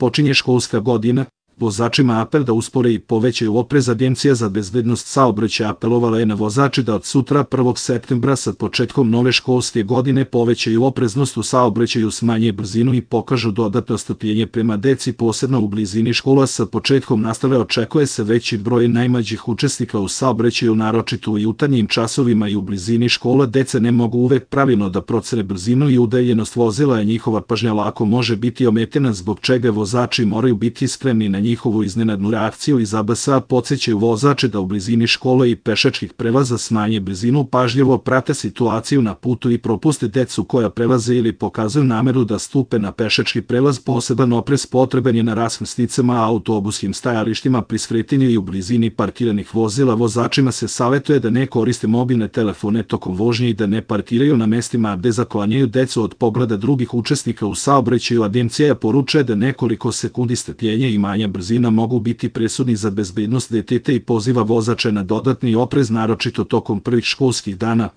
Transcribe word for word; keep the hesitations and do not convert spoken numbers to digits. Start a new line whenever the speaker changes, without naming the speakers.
počinje školska godina, vozačima apel da uspore i povećaju oprez. Agencija za bezbednost saobraćaja apelovala je na vozače da od sutra prvog septembra sa početkom nove školske godine povećaju opreznost u saobraćaju, smanje brzinu i pokažu dodatno strpljenje prema deci, posebno u blizini škola. Sa početkom nastave očekuje se veći broj najmlađih učesnika u saobraćaju, naročito u jutarnjim časovima i u blizini škola. Deca ne mogu uvek pravilno da procene brzinu i udaljenost vozila, a njihova pažnja lako može biti ometena, zbog čega vozači moraju biti spremni na njihovu iznenadnu reakciju. Iz A B S-a podsjećaju vozače da u blizini škole i pešačkih prelaza smanje brzinu, pažljivo prate situaciju na putu i propuste decu koja prelaze ili pokazuju nameru da stupe na pešački prelaz. Poseban oprez potreban je na raskrsnicama, autobuskim stajalištima, pri skretanju i u blizini parkiranih vozila. Vozačima se savetuje da ne koriste mobilne telefone tokom vožnje i da ne parkiraju na mestima gde zaklanjaju decu od pogleda drugih učesnika u saobraćaju. Agencija poručuje da nekoliko sekundi strpljenja i manja brzina mogu biti presudni za bezbednost deteta i poziva vozače na dodatni oprez, naročito tokom prvih školskih dana.